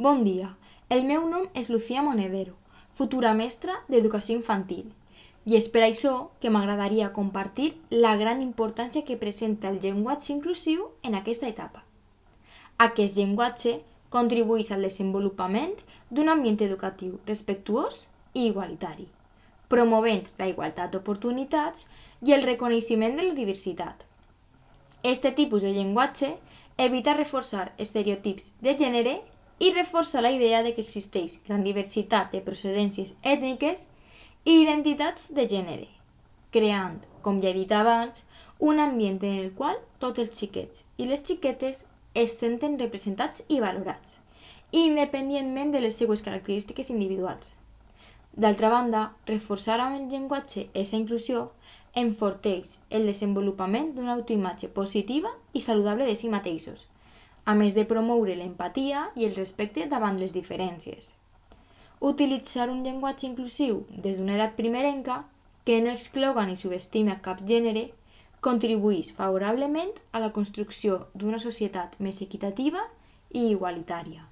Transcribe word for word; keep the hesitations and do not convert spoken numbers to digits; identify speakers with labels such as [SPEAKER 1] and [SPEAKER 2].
[SPEAKER 1] Bon dia, el meu nom és Lucía Monedero, futura mestra d'Educació Infantil, i és per això que m'agradaria compartir la gran importància que presenta el llenguatge inclusiu en aquesta etapa. Aquest llenguatge contribueix al desenvolupament d'un ambient educatiu respectuós i igualitari, promovent la igualtat d'oportunitats i el reconeixement de la diversitat. Este tipus de llenguatge evita reforçar estereotips de gènere i reforça la idea de que existeix gran diversitat de procedències ètniques i identitats de gènere, creant, com ja he dit abans, un ambient en el qual tots els xiquets i les xiquetes es senten representats i valorats, independentment de les seues característiques individuals. D'altra banda, reforçar amb el llenguatge aquesta inclusió enforteix el desenvolupament d'una autoimatge positiva i saludable de si mateixos, a més de promoure l'empatia i el respecte davant les diferències. Utilitzar un llenguatge inclusiu des d'una edat primerenca que no excloga ni subestima cap gènere contribueix favorablement a la construcció d'una societat més equitativa i igualitària.